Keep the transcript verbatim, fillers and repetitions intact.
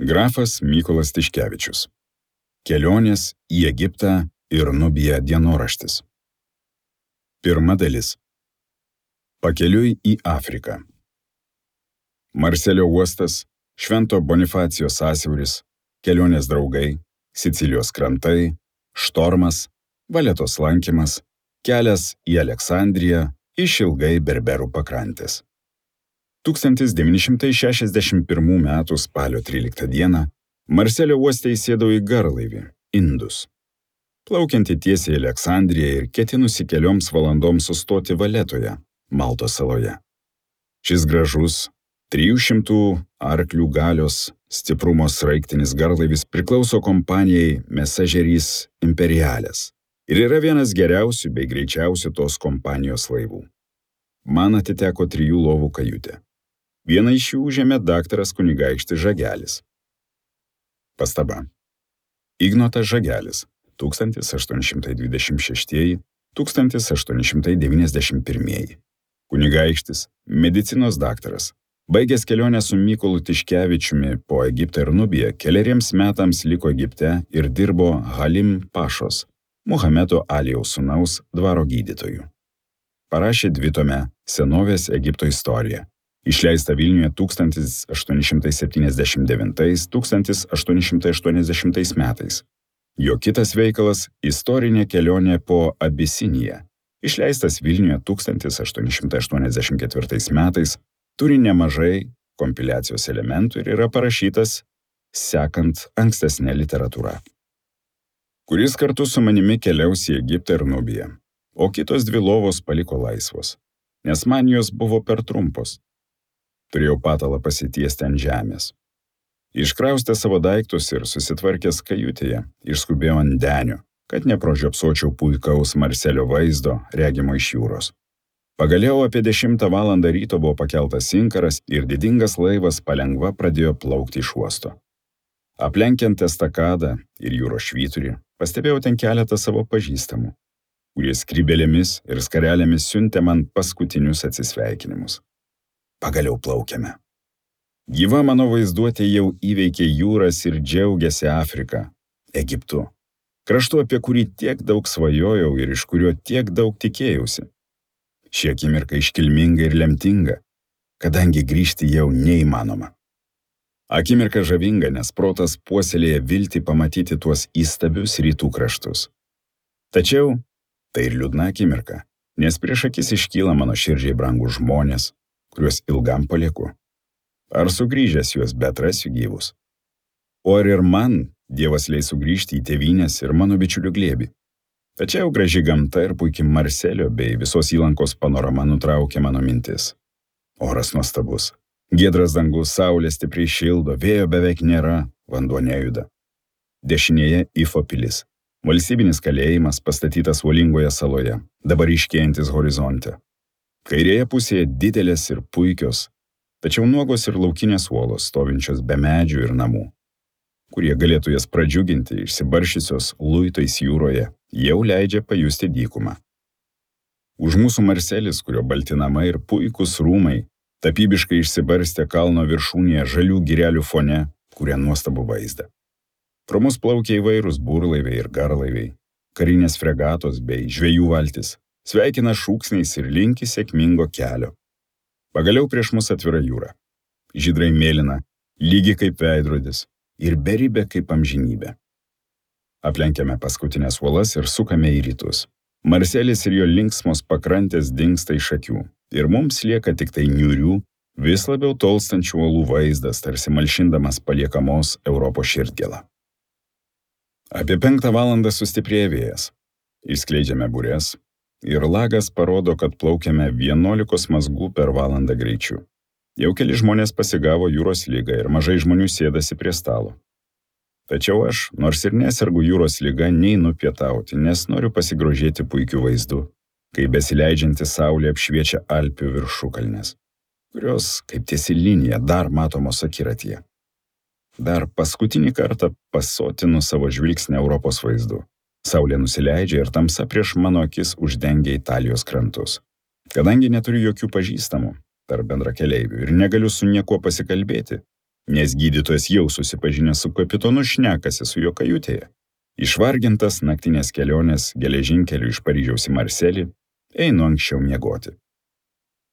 Grafas Mykolas Tiškevičius. Kelionės į Egiptą ir Nubiją dienoraštis. Pirma dalis. Pakeliui į Afriką. Marselio uostas, Švento Bonifacijo sąsiauris, kelionės draugai, Sicilijos krantai, štormas, Valetos lankymas, kelias į Aleksandriją, išilgai Berberų pakrantės. tūkstantis devyni šimtai šešiasdešimt pirmų metų spalio tryliktą dieną Marselio uoste įsėdau į garlaivį Indus, plaukiantį tiesiai į Aleksandriją ir ketinusi kelioms valandoms sustoti Valetoje, Maltos saloje. Šis gražus, trijų šimtų arklių galios stiprumo sraigtinis garlaivis priklauso kompanijai Messageries Imperiales ir yra vienas geriausių bei greičiausių tos kompanijos laivų. Man atiteko trijų lovų kajutė. Vieną iš jų užėmė daktaras kunigaikštis Žagelis. Pastaba. Ignotas Žagelis, tūkstantis aštuoni šimtai dvidešimt šeštieji - tūkstantis aštuoni šimtai devyniasdešimt pirmieji. Kunigaikštis, medicinos daktaras. Baigęs kelionę su Mykolu Tiškevičiumi po Egiptą ir Nubiją, keleriems metams liko Egipte ir dirbo Halim Pašos, Muhamedo Alijaus sūnaus dvaro gydytoju. Parašė dvitomę Senovės Egipto istoriją, išleista Vilniuje tūkstantis aštuoni šimtai septyniasdešimt devintais - tūkstantis aštuoni šimtai aštuoniasdešimtais metais. Jo kitas veikalas Istorinė kelionė po Abisiniją, išleistas Vilniuje tūkstantis aštuoni šimtai aštuoniasdešimt ketvirtais metais, turi nemažai kompiliacijos elementų ir yra parašytas sekant ankstesnę literatūrą. Kuris kartu su manimi keliaus į Egiptą ir Nubiją, o kitos dvi lovos paliko laisvos, nes man jos buvo per trumpos. Turėjau patalą pasitiesti ant žemės. Iškraustę savo daiktus ir susitvarkęs kajutėje, išskubėjau ant denio, kad nepražiopsočiau puikaus Marselio vaizdo regimo iš jūros. Pagaliau apie dešimtą valandą ryto buvo pakeltas inkaras ir didingas laivas palengva pradėjo plaukti iš uosto. Aplenkiant estakadą ir jūros švyturį, pastebėjau ten keletą savo pažįstamų, kurie skrybėlėmis ir skarelėmis siuntė man paskutinius atsisveikinimus. Pagaliau plaukiame. Gyva mano vaizduotė jau įveikė jūras ir džiaugiasi Afrika, Egiptu, kraštu, apie kurį tiek daug svajojau ir iš kurio tiek daug tikėjausi. Ši akimirka iškilminga ir lemtinga, kadangi grįžti jau neįmanoma. Akimirka žavinga, nes protas puoselėja viltį pamatyti tuos įstabius rytų kraštus. Tačiau tai ir liūdna akimirka, nes prieš akis iškyla mano širdžiai brangūs žmonės, kuriuos ilgam palieku. Ar sugrįžęs juos beatrasiu gyvus? O ar ir man Dievas leis sugrįžti į tėvynės ir mano bičiulių glėbį? Tačiau graži gamta ir puikiai Marselio bei visos įlankos panorama nutraukė mano mintis. Oras nuostabus. Giedras dangus, saulė stipriai šildo, vėjo beveik nėra, vanduo nejuda. Dešinėje Ifo pilis. Valstybinis kalėjimas pastatytas uolingoje saloje, dabar iškėjantis horizonte. Kairėje pusėje didelės ir puikios, tačiau nuogos ir laukinės uolos stovinčios be medžių ir namų, kurie galėtų jas pradžiuginti išsibaršysios luitais jūroje, jau leidžia pajusti dykumą. Už mūsų Marselis, kurio balti namai ir puikūs rūmai, tapybiškai išsibarstę kalno viršūnėje žalių girelių fone, kurie nuostabų vaizdą. Pro mus plaukia įvairūs burlaiviai ir garlaiviai, karinės fregatos bei žvejų valtis, sveikina šūksniais ir linki sėkmingo kelio. Pagaliau prieš mus atvira jūra, žydrai mėlyna, lygi kaip veidrodis ir beribė kaip amžinybė. Aplenkiame paskutinės uolas ir sukame į rytus. Marselis ir jo linksmos pakrantės dingsta iš akių ir mums lieka tik tai niūrių, vis labiau tolstančių uolų vaizdas, tarsi malšindamas paliekamos Europos širdgėlą. Apie penktą valandą sustiprėja vėjas. Išskleidžiame burės ir lagas parodo, kad plaukiame vienuolikos mazgų per valandą greičiu. Jau keli žmonės pasigavo jūros ligą ir mažai žmonių sėdasi prie stalo. Tačiau aš, nors ir nesergu jūros liga, neinu pietauti, nes noriu pasigrožėti puikiu vaizdu, kai besileidžianti saulė apšviečia Alpių viršukalnes, kurios, kaip tiesi linija, dar matomos akiratyje. Dar paskutinį kartą pasotinu savo žvilgsnį Europos vaizdu. Saulė nusileidžia ir tamsa prieš mano akis uždengia Italijos krantus. Kadangi neturiu jokių pažįstamų tarp bendrakeleivių ir negaliu su niekuo pasikalbėti, nes gydytojas jau susipažinęs su kapitonu šnekasi su jo kajutėje. Išvargintas naktinės kelionės geležinkeliu iš Paryžiaus į Marselį, einu anksčiau miegoti.